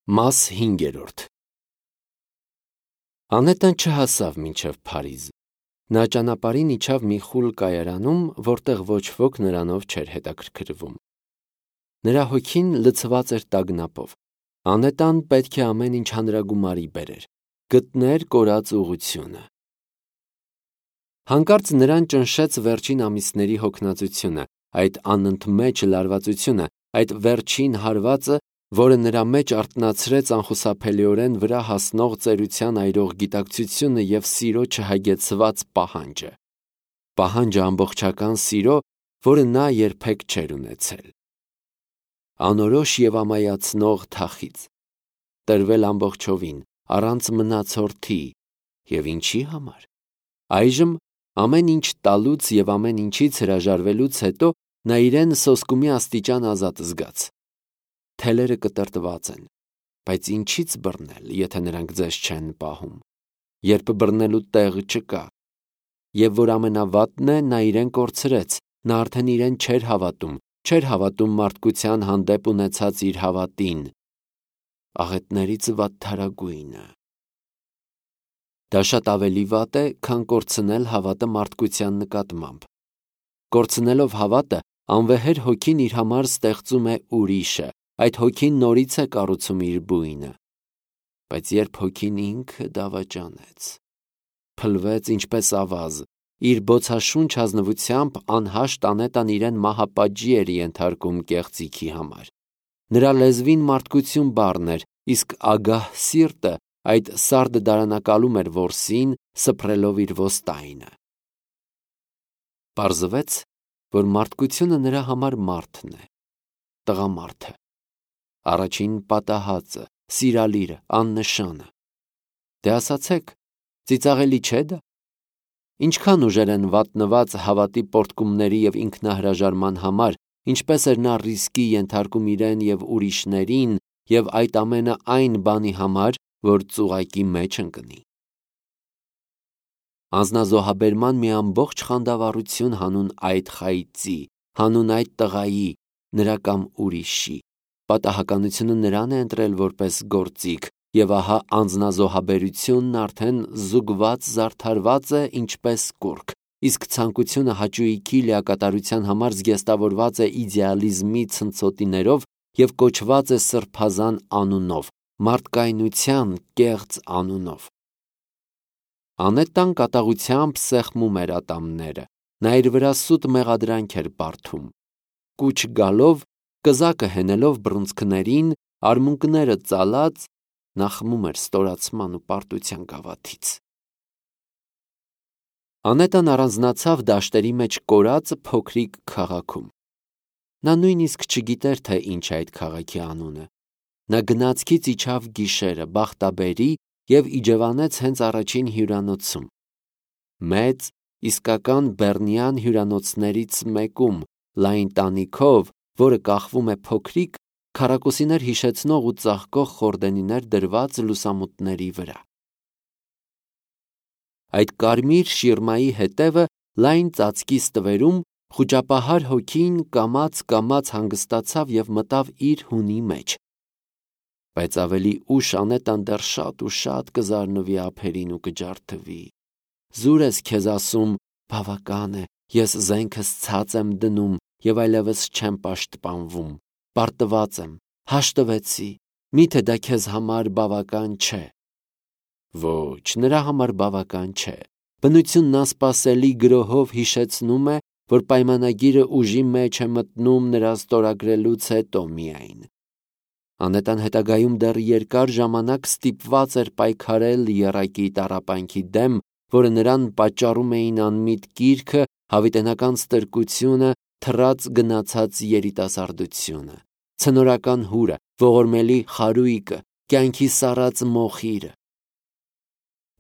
Մաս 5. Անետան չհասավ մինչև Փարիզ։ Նա ճանապարհին իջավ մի խուլ կայարանում, որտեղ ոչ ոք նրանով չէր հետաքրքրվում։ Նրա հոգին լցված էր տագնապով։ Անետան պետք է ամեն ինչ հանրագումարի բերեր, գտներ կորած ուղղությունը։ Հանկարծ նրան ճնշեց վերջին ամիսների հոգնածությունը, այդ անընդմեջ լարվածությունը, այդ վերջին հարվածը, որը նրա մեջ արթնացրեց անխուսափելիորեն վրա հասնող ծերության այրող գիտակցությունը և սիրո չհագեցված պահանջը։ Պահանջը ամբողջական սիրո, որը նա երբեք չէր ունեցել։ Անորոշ և ամայացնող թախիծ։ Տրվել ամբողջովին, առանց մնացորդի, և ինչի համար։ Այժմ ամեն ինչ տալուց և ամեն ինչից հրաժարվելուց հետո նա իրեն սոսկումի աստիճան ազատ զգաց։ Թելերը կտրտված են, բայց ինչի՞ց բռնել, եթե նրանք ձեզ չեն պահում, երբ բռնելու տեղ չկա։ Եվ որ ամենավատն է, նա իրեն կորցրեց, նա արդեն իրեն չէր հավատում մարդկության հանդեպ ունեցած իր հավատին, աղետներից վատթարագույնը։ Դա շատ ավելի վատ է, քան կորցնել հավատը մարդկության նկատմամբ։ Կորցնելով հավատը, անվեհեր հոգին իր համար ստեղծում է ուրիշը, այդ հոգին նորից է կառուցում իր բույնը։ Բայց երբ հոգին ինքը դավաճանեց, փլվեց ինչպես ավազ, իր բոցաշունչ ազնվությամբ անհաշտ անետան իրեն մահապատժի էր ենթարկում կեղծիքի համար։ Նրա լեզվին մարդկություն բառն էր, իսկ ագահ սիրտը այդ սարդը դարանակալում էր որսին, սփռելով իր ոստայնը։ Պարզվեց, որ մարդկությունը նրա համար մարդն է, տղամարդը, առաջին պատահածը, սիրալիրը, աննշանը։ Դե ասացեք, ծիծաղելի չէ՞ դա։ Ինչքան ուժեր են վատնված հավատի պոռթկումների և ինքնահրաժարման համար, ինչպես էր նա ռիսկի ենթարկում իրեն և ուրիշներին և այդ ամենը այն բանի համար, որ ծուղակի մեջ ընկնի։ Անձնազոհաբերման մի ամբողջ խանդավառություն հանուն այդ խայծի, հանուն այդ տղայի, նրա կամ ուրիշի։ Պատահականությունը նրան է ընտրել որպես գործիք, և ահա անձնազոհաբերությունն արդեն զուգված զարդարված է ինչպես կուռք, իսկ ցանկությունը հաճույքի լիակատարության համար զգեստավորված է իդեալիզմի ցնցոտիներով և կոչված է սրբազան անունով, մարդկայնության կեղծ անունով։ Անետան կատաղությամբ սեղմում էր ատամները, նա իր վրա սուտ մեղադրանք էր բարդում։ Կուչ գալով, կզակը հենելով բռունցքներին, արմունկները ծալած, նա խմում էր ստորացման ու պարտության գավաթից։ Անետան առանձնացավ դաշտերի մեջ կորած փոքրիկ քաղաքում։ Նա նույնիսկ չգիտեր, թե ինչ է այդ քաղաքի անունը։ Նա գնացքից իջավ գիշերը, բախտաբերի և իջևանեց հենց առաջին հյուրանոցում։ Մեծ, իսկական բեռնյան հյուրանոցներից մեկում, լայն տանիքով, որը կախվում է փոքրիկ, քառակուսիներ հիշեցնող ու ծաղկող խորդենիներ դրված լուսամուտների վրա։ Այդ կարմիր շիրմայի հետևը լայն ծածկի ստվերում խուճապահար հոգին կամաց հանգստացավ և մտավ իր հունի մեջ։ Բայց ավելի ուշ Անետան դեռ շատ ու շատ կզարնվի ափերին ու կջարդվի։ Զուր ես քեզ ասում, բավական է, ես զենքս ցած եմ դնում և այլևս չեմ պաշտպանվում, պարտված եմ, հաշտվեցի, միթե դա քեզ համար բավական չէ։ Ոչ, նրա համար բավական չէ։ Բնությունն անսպասելի գրոհով հիշեցնում է, որ պայմանագիրը ուժի մեջ է մտնում նրա ստորագրելուց հետո միայն։ Անետան հետագայում դեռ երկար ժամանակ ստիպված էր պայքարել եռակի տառապանքի դեմ, որը նրան պատճառում էին անմիտ կիրքը, հավիտենական ստրկությունը, թռած գնացած երիտասարդությունը, ցնորական հուրը, ողորմելի խարույկը, կյանքի սառած մոխիրը։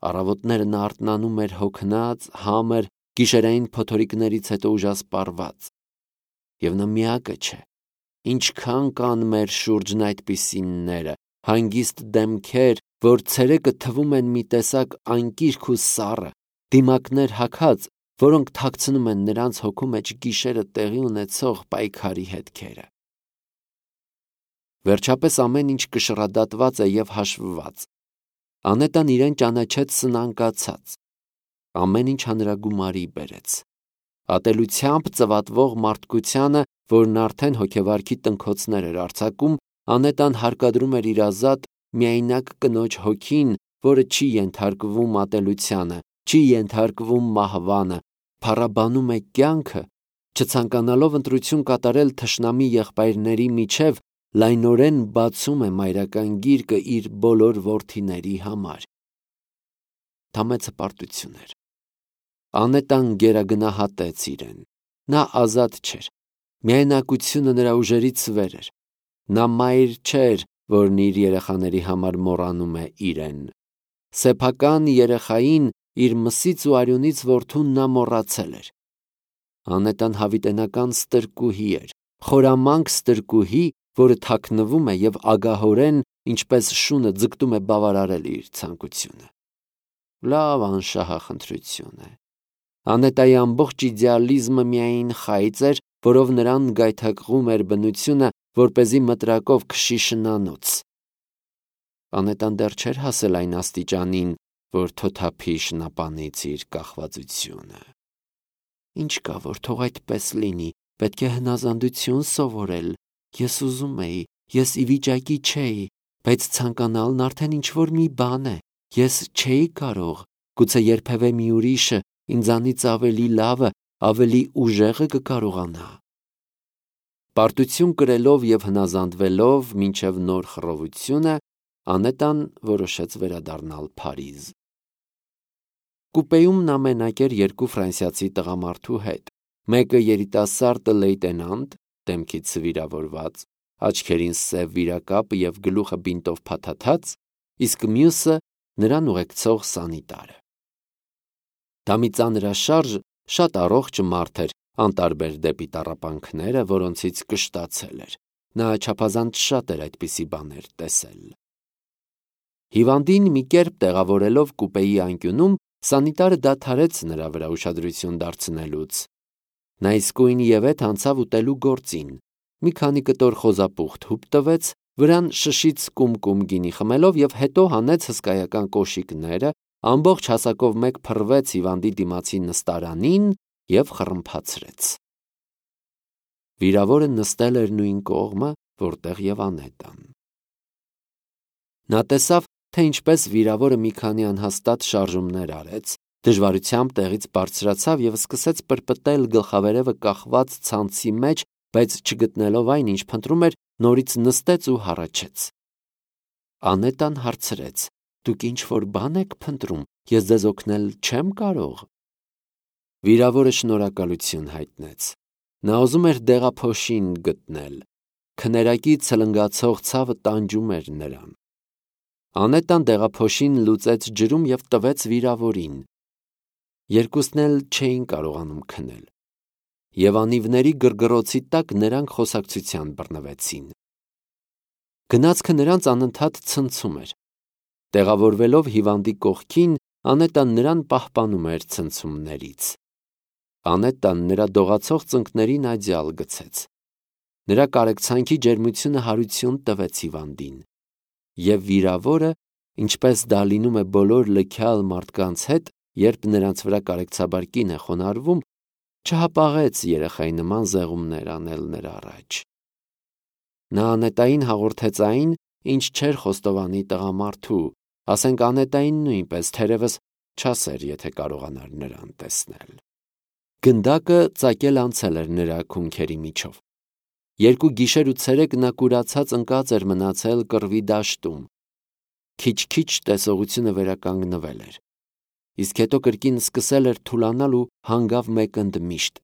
Առավոտները նա արթնանում էր հոգնած, համր, գիշերային փոթորիկներից հետո ուժասպառված։ Եվ նա միակը չէ։ Ինչքան կան մեր շուրջն այդպիսիները, հանգիստ դեմքեր, որ ցերեկը թվում են մի տեսակ անկիրք ու սառը, դիմակներ հագած, որոնք թաքցնում են նրանց հոգու մեջ գիշերը տեղի ունեցող պայքարի հետքերը։ Վերջապես ամեն ինչ կշռադատված է և հաշվված։ Անետան իրեն ճանաչեց սնանկացած։ Ամեն ինչ հանրագումարի բերեց։ Ատելությամբ ծվատվող մարդկությանը, որն արդեն հոգեվարքի տնքոցներ էր արձակում, Անետան հարկադրում էր իր ազատ միայնակ կնոջ հոգին, որը չի ենթարկվում ատելությանը, չի ենթարկվում մահվանը, փառաբանում է կյանքը, չցանկանալով ընտրություն կատարել թշնամի եղբայրների միջև, լայնորեն բացում է մայրական գիրկը իր բոլոր որդիների համար։ Դա մեծ հպարտություն էր։ Անետան գերագնահատեց իրեն։ Նա ազատ չէր։ Միայնակությունը նրա ուժերից վեր էր։ Նա մայր չէր, որն իր երեխաների համար մոռանում է իրեն։ Սեփական երեխային, իր մսից ու արյունից որդուն նա մոռացել էր։ Անետան հավիտենական ստրկուհի էր, խորամանկ ստրկուհի, որը թաքնվում է և ագահորեն, ինչպես շունը ձգտում է բավարարել իր ցանկությունը։ Լավ անշահախնդրություն է։ Անետայի ամբողջ իդեալիզմը միայն խայծ էր, որով նրան գայթակղում էր բնությունը, որպեսզի մտրակով քշի շնանոց։ Անետան դեռ չէր հասել այն աստիճանին, որ թոթափի շնապանից իր կախվածությունը։ Ինչ կա, որ թող այդպես լինի, պետք է հնազանդություն սովորել։ Ես ուզում էի, ես ի վիճակի չէի, բայց ցանկանալն արդեն ինչ-որ մի բան է։ Ես չէի կարող, գուցե երբևէ մի ուրիշը ինձանից ավելի լավը, ավելի ուժեղը կկարողանա։ Պարտություն կրելով և հնազանդվելով մինչև նոր խռովությունը, Անետան որոշեց վերադառնալ Փարիզ։ Կուպեում նա մենակ էր երկու ֆրանսիացի տղամարդու հետ։ Մեկը երիտասարդ լեյտենանտ, դեմքից վիրավորված, աչքերին սև վիրակապ և գլուխը բինտով փաթաթած, իսկ մյուսը նրան ուղեկցող սանիտարը։ Դա մի ծանրաշարժ, շատ առողջ մարդ էր, անտարբեր դեպի տառապանքները, որոնցից կշտացել էր։ Նա չափազանց շատ էր այդպիսի բաներ տեսել։ Հիվանդին մի կերպ տեղավորելով կուպեի անկյունում, սանիտարը դադարեց նրա վրա ուշադրություն դարձնելուց։ Նա իսկույն ևեթ անցավ ուտելու գործին։ Մի քանի կտոր խոզապուխտ հուպ տվեց, վրան շշից կում գինի խմելով և հետո հանեց հսկայական կոշիկները, ամբողջ հասակով մեկ փռվեց հիվանդի դիմացի նստարանին և խռմփացրեց։ Վիրավորը նստել էր նույն կողմը, որտեղ և Անետան։ Նա տեսավ, թե ինչպես վիրավորը մի քանի անհաստատ շարժումներ արեց, դժվարությամբ տեղից բարձրացավ և սկսեց պրպտել գլխավերևը կախված ցանցի մեջ, բայց չգտնելով այն, ինչ փնտրում էր, նորից նստեց ու հառաչեց։ Անետան հարցրեց. «Դուք ինչ-որ բան եք փնտրում, ես ձեզ օգնել չեմ կարող»։ Վիրավորը շնորհակալություն հայտնեց։ Նա ուզում էր դեղափոշին գտնել։ Քներակի ցլնգացող ցավը տանջում էր նրան։ Անետան դեղափոշին լուծեց ջրում և տվեց վիրավորին։ Երկուսն էլ չէին կարողանում քնել։ Եվ անիվների գրգռոցի տակ նրանք խոսակցության բռնվեցին։ Գնացքը նրանց անընդհատ ցնցում էր։ Տեղավորվելով հիվանդի կողքին, Անետան նրան պահպանում էր ցնցումներից։ Անետան նրա դողացող ծնկներին աջալ գցեց։ Նրա կարեկցանքի ջերմությունը հարություն տվեց հիվանդին։ Եվ վիրավորը, ինչպես դա լինում է բոլոր լքյալ մարդկանց հետ, երբ նրանց վրա կարեկցաբար կին է խոնարհվում, չհապաղեց երեխայի նման զեղումներ անել նրա առաջ։ Նա Անետային հաղորդեց այն, ինչ չէր խոստովանի տղամարդու, ասենք Անետային նույնպես, թերևս չասեր, եթե կարողանար նրան տեսնել։ Գնդակը ծակել անցել էր նրա քունքերի միջով։ 2 գիշեր ու ցերեկ նա կուրացած ընկած էր մնացել կռվի դաշտում։ Քիչ-քիչ տեսողությունը վերականգնվել էր։ Իսկ հետո կրկին սկսել էր թուլանալ ու հանգավ մեկ ընդմիշտ։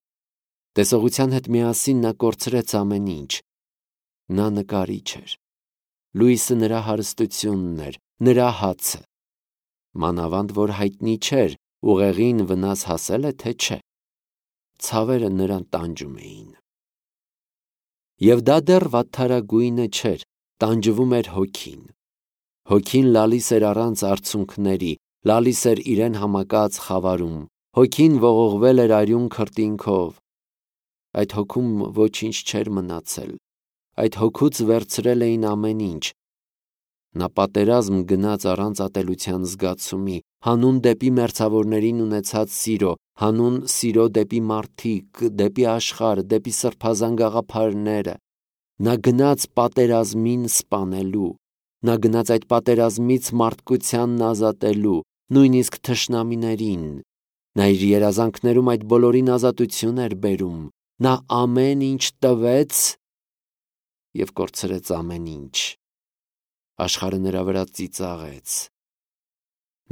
Տեսողության հետ միասին նա կորցրեց ամեն ինչ։ Նա նկարիչ էր։ Լույսը նրա հարստությունն էր, նրա հացը։ Մանավանդ որ հայտնի չէր, ուղեղին վնաս հասել է, թե չէ։ Ցավերը նրան տանջում էին։ Եվ դա դեռ վատթարագույնը չէր, տանջվում էր հոգին։ Հոգին լալիս էր առանց արցունքների, լալիս էր իրեն համակած խավարում, հոգին ողողվել էր արյուն քրտինքով։ Այդ հոգում ոչինչ չէր մնացել, այդ հոգուց վերցրել էին ամեն ինչ։ Նա պատերազմ գնաց առանց ատելության զգացումի, հանուն դեպի մերձավորներին ունեցած սիրո, հանուն սիրո դեպի մարդիկ, դեպի աշխարհ, դեպի սրբազան գաղափարները։ Նա գնաց պատերազմին սպանելու, նա գնաց այդ պատերազմից մարդկությանն ազատելու, նույնիսկ թշնամիներին։ Նա իր երազանքներում այդ բոլորին ազատություն էր բերում։ Նա ամեն ինչ տվեց և կորցրեց ամեն ինչ։ Աշխարհը նրա վրա ծիծաղեց։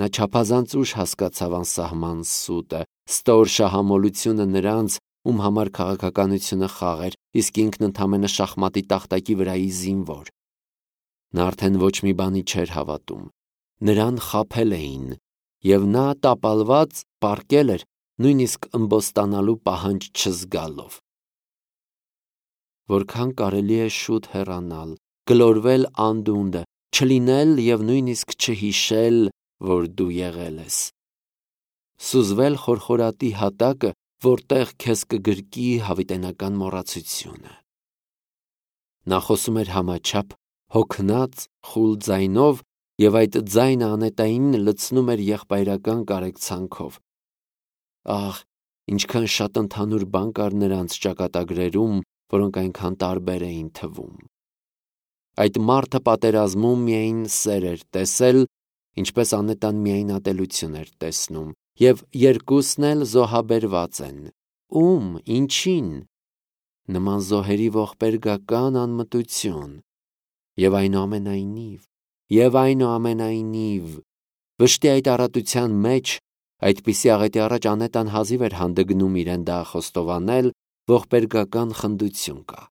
Նա չափազանց ուշ հասկացավ անսահման սուտը, ստոր շահամոլությունը նրանց, ում համար քաղաքականությունը խաղ էր, իսկ ինքն ընդամենը շախմատի տախտակի վրայի զինվոր։ Նա արդեն ոչ մի բանի չէր հավատում։ Նրան խաբել էին, և նա տապալված պառկել էր, նույնիսկ ըմբոստանալու պահանջ չզգալով։ Որքան կարելի է շուտ հեռանալ, գլորվել անդունդը, չլինել և նույնիսկ չհիշել, որ դու եղել ես։ Սուզվել խորխորատի հատակը, որտեղ քեզ կգրկի հավիտենական մոռացությունը։ Նա խոսում էր համաչափ, հոգնած, խուլ ձայնով, և այդ ձայնը անետայինն լցնում էր եղբայրական կարեկցանքով։ Ահ, ինչքան շատ ընդհանուր բան կար նրանց ճակատագրերում, որոնք այնքան տարբեր էին թվում։ Այդ մարդը պատերազմում միայն սեր էր տեսել, ինչպես Անետան միայն ատելություն էր տեսնում, և երկուսն էլ զոհաբերված են։ Ում, ինչին։ Նման զոհերի ողբերգական անմտություն։ Եվ այնուամենայնիվ, վշտի այդ առատության մեջ, այդպիսի աղետի առաջ Անետան հազիվ էր հանդգնում իրեն դա խոստովանել, ողբերգական խնդություն կա։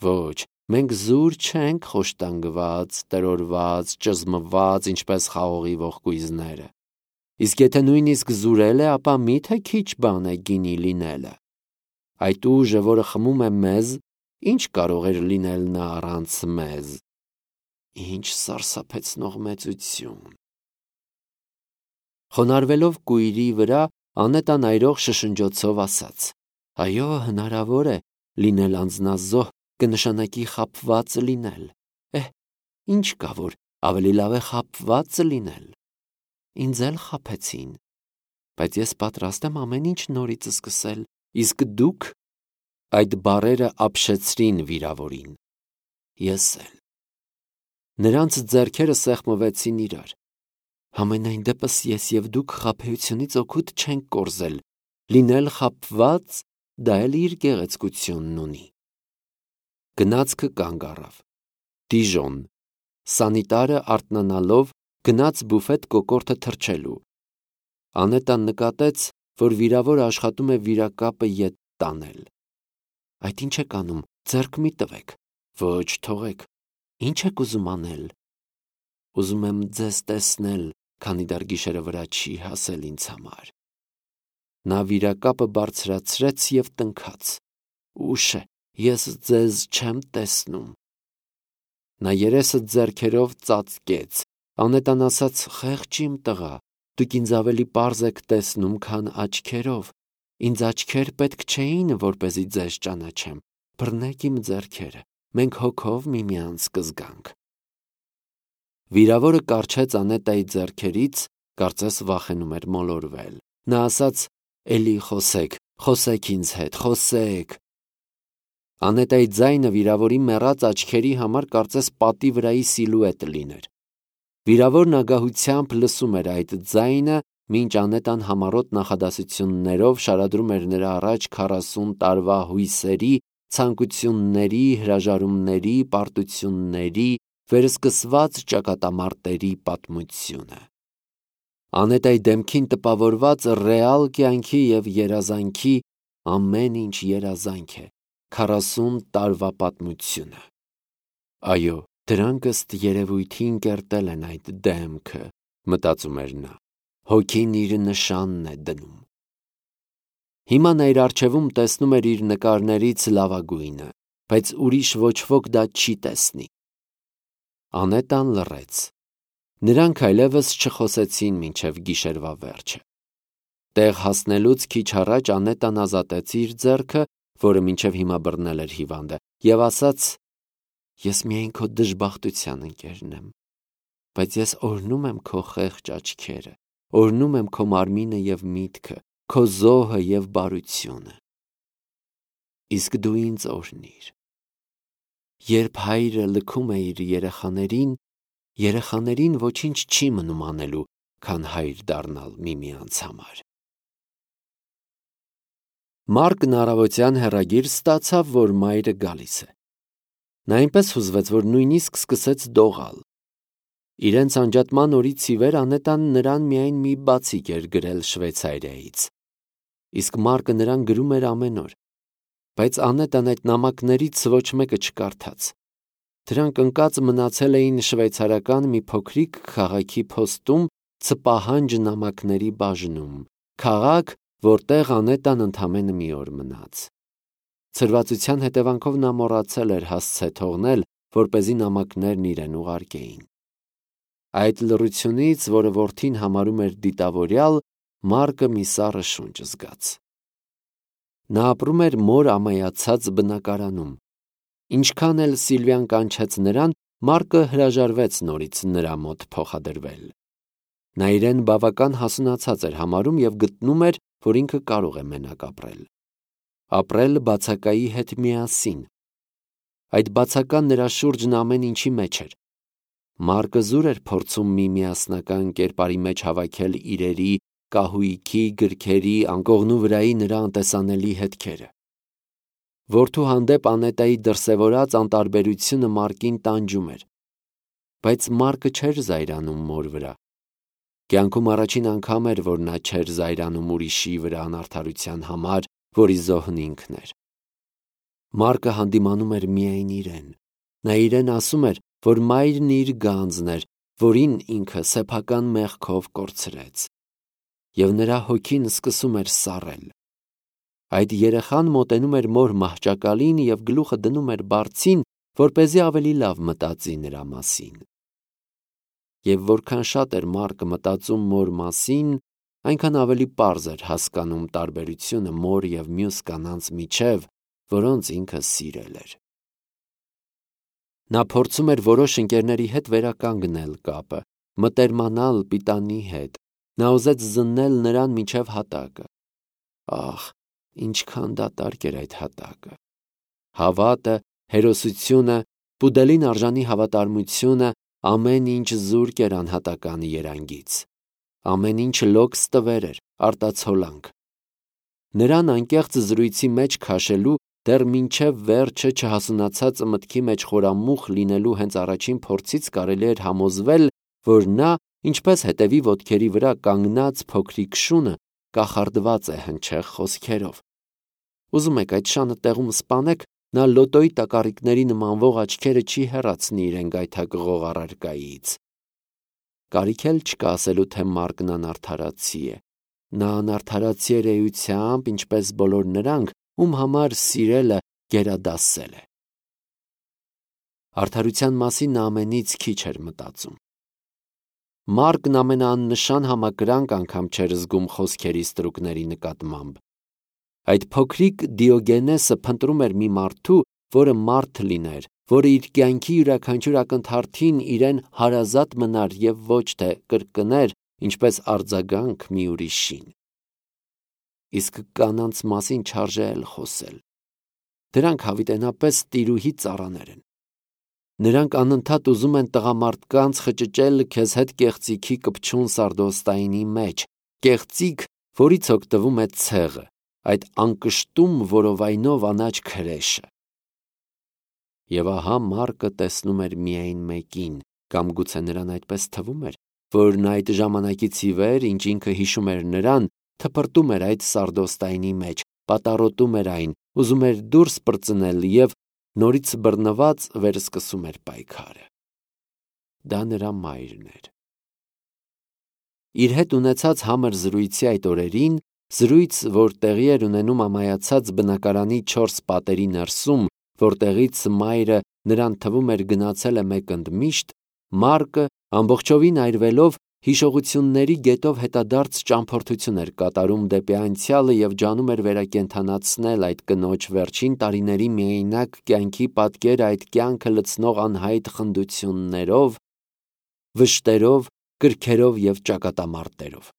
Ոչ, մենք զուր չենք խոշտանգված, տրորված, ճզմված, ինչպես խաղողի ողկույզները։ Իսկ եթե նույնիսկ զուրել է, ապա մի՞թե քիչ բան է գինի լինելը։ Այդ ուժը, որը խմում է մեզ, ինչ կարող էր լինել նա առանց մեզ։ Ինչ սարսափեցնող մեծություն։ Խոնարհվելով կույրի վրա, Անետան այրող շշնջոցով ասաց. «Այո, հնարավոր է լինել անձնազոհ, կնշանակի խաբված լինել։ Ինչ կա, որ ավելի լավ է խաբված լինել։ Ինձ էլ խաբեցին, բայց ես պատրաստ եմ ամեն ինչ նորից սկսել, իսկ դուք»։ Այդ բառերը ապշեցրին վիրավորին։ Ես էլ։ Նրանց ձեռքերը սեղմվեցին իրար։ Համենայն դեպս ես և դուք խաբեությունից օգուտ չենք կորզել։ Լինել խաբված, դա էլ իր գեղեցկությունն ունի։ Գնացքը կանգ առավ։ Դիժոն։ Սանիտարը արթնանալով գնաց բուֆետ կոկորդը թռչելու։ Անետան նկատեց, որ վիրավորը աշխատում է վիրակապը ետ տանել։ Այդ ինչ եք անում, ձեռք մի տվեք։ Ոչ, թողեք։ Ինչ եք ուզում անել։ Ուզում եմ ձեզ տեսնել, քանի դեռ գիշերը վրա չի հասել ինձ համար։ Նա վիրակապը բարձրացրեց և տնքաց։ Ուշ է, ես ձեզ չեմ տեսնում։ Նա երեսը ձեռքերով ծածկեց։ Անետան ասաց. «Խեղճ իմ տղա, դուք ինձ ավելի պարզ եք տեսնում, քան աչքերով։ Ինձ աչքեր պետք չէին, որպեսզի ձեզ ճանաչեմ։ Բռնեք իմ ձեռքերը, մենք հոգով միմյանց կզգանք»։ Վիրավորը կառչեց Անետայի ձեռքերից, կարծես վախենում էր մոլորվել։ Նա ասաց. «Էլի խոսեք ինձ հետ, խոսեք»։ Անետայի ձայնը վիրավորի մեռած աչքերի համար կարծես պատի վրայի սիլուետ լիներ։ Վիրավորն ագահությամբ լսում էր այդ ձայնը, մինչ Անետան համառոտ նախադասություններով շարադրում էր նրա առաջ 40 տարվա հույսերի, ցանկությունների, հրաժարումների, պարտությունների, վերսկսված ճակատամարտերի պատմությունը։ Անետայի դեմքին տպավորված ռեալ կյանքի և երազանքի ամեն ինչ երազանք է, 40 տարվա պատմությունը։ Այո, դրանք ըստ երևույթին կերտել են այդ դեմքը, մտածում էր նա։ Հոգին իր նշանն է դնում։ Հիմա նա իր առջևում տեսնում էր իր նկարներից լավագույնը, բայց ուրիշ ոչ ոք դա չի տեսնի։ Անետան լռեց։ Նրանք այլևս չխոսեցին մինչև գիշերվա վերջը։ Տեղ հասնելուց քիչ առաջ Անետան ազատեց իր ձեռքը, որը մինչև հիմա բռնել էր հիվանդը, եւ ասաց. «Ես միայն քո դժբախտության ընկերն եմ, բայց ես օրհնում եմ քո խեղճ աչքերը, օրհնում եմ քո մարմինը եւ միտքը, քո զոհը եւ բարությունը։ Իսկ դու ինձ օրհնիր»։ Երբ հայրը լքում է իր երեխաներին ոչինչ չի մնում անելու, քան հայր դառնալ միմյանց համար։ Մարկն առավոտյան հեռագիր ստացավ, որ մայրը գալիս է։ Նա այնպես հուզվեց, որ նույնիսկ սկսեց դողալ։ Իրենց անջատման օրից ի վեր Անետան նրան միայն մի բացիկ էր գրել Շվեյցարիայից։ Իսկ Մարկը նրան գրում էր ամեն օր։ Բայց Անետան այդ նամակներից ոչ մեկը չկարդաց։ Դրանք ընկած մնացել էին շվեյցարական մի փոքրիկ քաղաքի փոստում Ցպահանջ նամակների բաժնում, քաղաք, որտեղ Անետան ընդամենը մի օր մնաց։ Ցրվածության հետևանքով նա մոռացել էր հասցե թողնել, որպեսզի նամակներն իրեն ուղարկեին։ Այդ լռությունից, որը որդին համարում էր դիտավորյալ, Մարկը մի սառը շունչ զգաց։ Նա ապրում էր մոր ամայացած բնակարանում։ Ինչքան էլ Սիլվիան կանչեց նրան, Մարկը հրաժարվեց նորից նրա մոտ փոխադրվել։ Նա իրեն բավական հասունացած էր համարում եւ գտնում էր, որ ինքը կարող է մենակ ապրել։ Ապրել բացակայի հետ միասին։ Այդ բացական նրա շուրջն ամեն ինչի մեջ էր։ Մարկը զուր էր փորձում մի միասնական կերպարի մեջ հավաքել իրերի, կահույքի, գրքերի, անկողնու վրայի նրա անտեսանելի հետքերը։ Որդու հանդեպ Անետայի դրսևորած անտարբերությունը Մարկին տանջում էր։ Բայց Մարկը չէր զայրանում մոր վրա։ Կյանքում առաջին անգամ էր, որ նա չէր զայրանում ուրիշի վրա անարդարության համար, որի զոհն ինքն էր։ Մարկը հանդիմանում էր միայն իրեն։ Նա իրեն ասում էր, որ մայրն իր գանձն էր, որին ինքը սեփական մեղքով կորցրեց։ Եվ նրա հոգին սկսում էր սառել։ Այդ երեխան մոտենում էր մոր մահճակալին եւ գլուխը դնում էր բարձին, որպեսզի ավելի լավ մտածի նրա մասին։ Եվ որքան շատ էր Մարկը մտածում մոր մասին, այնքան ավելի պարզ էր հասկանում տարբերությունը մոր եւ մյուս կանանց միջև, որոնց ինքը սիրել էր։ Նա փորձում էր որոշ ընկերների հետ վերականգնել կապը, մտերմանալ պիտանի հետ։ Նա ուզեց զննել նրան մինչև հատակը։ Ահ, ինչքան դատարկ էր այդ հատակը։ Հավատը, հերոսությունը, պուդելին արժանի հավատարմությունը, ամեն ինչ զուրկ էր անհատականի երանգից։ Ամեն ինչ լոկ ստվեր էր, արտացոլանք։ Նրան անկեղծ զրույցի մեջ քաշելու, դեռ մինչև վերջը չհասունացած մտքի մեջ խորամուխ լինելու հենց առաջին փորձից կարելի էր համոզվել, որ նա, ինչպես հետևի ոտքերի վրա կանգնած փոքրիկ շունը, կախարդված է հնչեղ խոսքերով։ Ուզում եք այդ շանը տեղում սպանեք, նա լոտոյի տակառիկների նմանվող աչքերը չի հեռացնի իրեն գայթակղող առարկայից։ Կարիք էլ չկա ասելու, թե Մարկն անարդարացի է։ Նա անարդարացի էր էությամբ, ինչպես բոլոր նրանք, ում համար սիրելը գերադասել է։ Արդարության մասին նա ամենից քիչ էր մտածում։ Մարկն ամենաաննշան համակրանք անգամ չէր զգում խոսքերի ստրուկների նկատմամբ։ Այդ փոքրիկ Դիոգենեսը փնտրում էր մի մարդու, որը մարդ լիներ, որը իր կյանքի յուրաքանչյուր ակնթարթին իրեն հարազատ մնար եւ ոչ թե կրկներ, ինչպես արձագանք մի ուրիշին։ Իսկ կանանց մասին չարժե էլ խոսել։ Դրանք հավիտենապես տիրուհի ծառաներ են։ Նրանք անընդհատ ուզում են տղամարդկանց խճճել քեզ հետ կեղծիքի կպչուն սարդոստայինի մեջ, կեղծիք, որից օգտվում է ցեղը, այդ անկշտում որովայնով անաչ քրեշը։ Եվ ահա Մարկը տեսնում էր միայն մեկին, կամ գուցե նրան այդպես թվում էր, որ նա այդ ժամանակից ի վեր, ինչ ինքը հիշում էր նրան, թփրտում էր այդ սարդոստայինի մեջ, պատառոտում էր այն, ուզում էր դուրս պրծնել եւ նորից բռնված վերսկսում էր պայքարը։ Դա նրա մայրն էր։ Իր հետ ունեցած համր զրույցի այդ օրերին, զրույց, որ տեղի էր ունենում ամայացած բնակարանի 4 պատերի ներսում, որտեղից մայրը նրան թվում էր գնացել է մեկ ընդմիշտ, Մարկը ամբողջովին այրվելով հիշողությունների գետով հետադարձ ճամփորդություն էր կատարում դեպի անցյալը և ջանում էր վերակենդանացնել այդ կնոջ վերջին տարիների միայնակ կյանքի պատկերը այդ կյանքը լցնող անհայտ խնդություններով, վշտերով, կրքերով և ճակատամարտերով։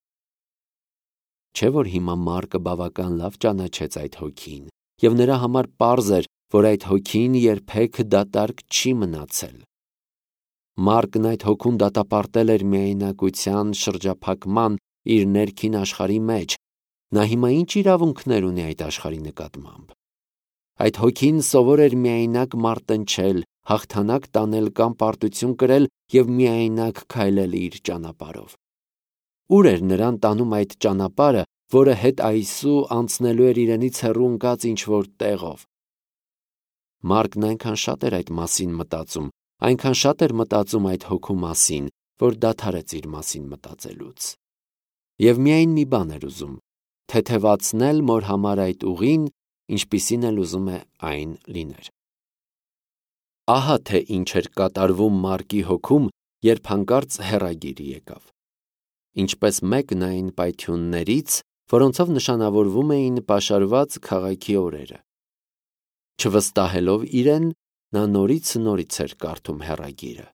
Չէ՞ որ հիմա Մարկը բավական լավ ճանաչեց այդ հոգին, և նրա համար պարզ էր, որ այդ հոգին երբեք դատարկ չի մնացել։ Մարկն այդ հոգուն դատապարտել էր միայնակության շրջափակման իր ներքին աշխարհի մեջ։ Նա հիմա ինչ իրավունքներ ունի այդ աշխարհի նկատմամբ։ Այդ հոգին սովոր էր միայնակ մարտնչել, հաղթանակ տանել կամ պարտություն կրել և միայնակ քայլել իր ճանապարհով։ Ուր էր նրան տանում այդ ճանապարհը, որը հետ այսու անցնելու էր իրենից հեռու ընկած ինչ-որ տեղով։ Մարկն այնքան շատ էր այդ մասին մտածում, այնքան շատ էր մտածում այդ հոգու մասին, որ դադարեց իր մասին մտածելուց։ Եվ միայն մի բան էր ուզում՝ թեթևացնել մոր համար այդ ուղին, ինչպիսին էլ ուզում է այն լիներ։ Ահա թե ինչ էր կատարվում Մարկի հոգում, երբ հանկարծ հեռագիր եկավ։ Ինչպես մեկն այն պայթյուններից, որոնցով նշանավորվում էին պաշարված քաղաքի օրերը։ Չվստահելով իրեն, նա նորից էր կարդում հեռագիրը։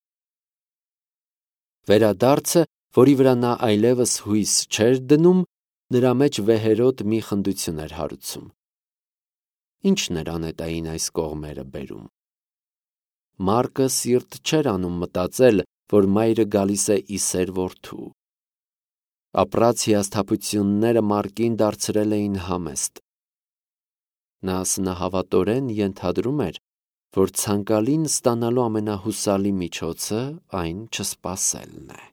Վերադարձը, որի վրա նա այլևս հույս չէր դնում, նրա մեջ վեհերոտ մի խնդություն էր հարուցում։ Ի՞նչն էր անետային այս կողմերը բերում։ Մարկը սիրտ չէր անում մտածել, որ մայրը գալիս է ի սեր որդու։ Ապրած հիասթափությունները Մարկին դարձրել էին համեստ։ Նա սնահավատորեն ենթադրում էր, որ ցանկալին ստանալու ամենահուսալի միջոցը այն չսպասելն է։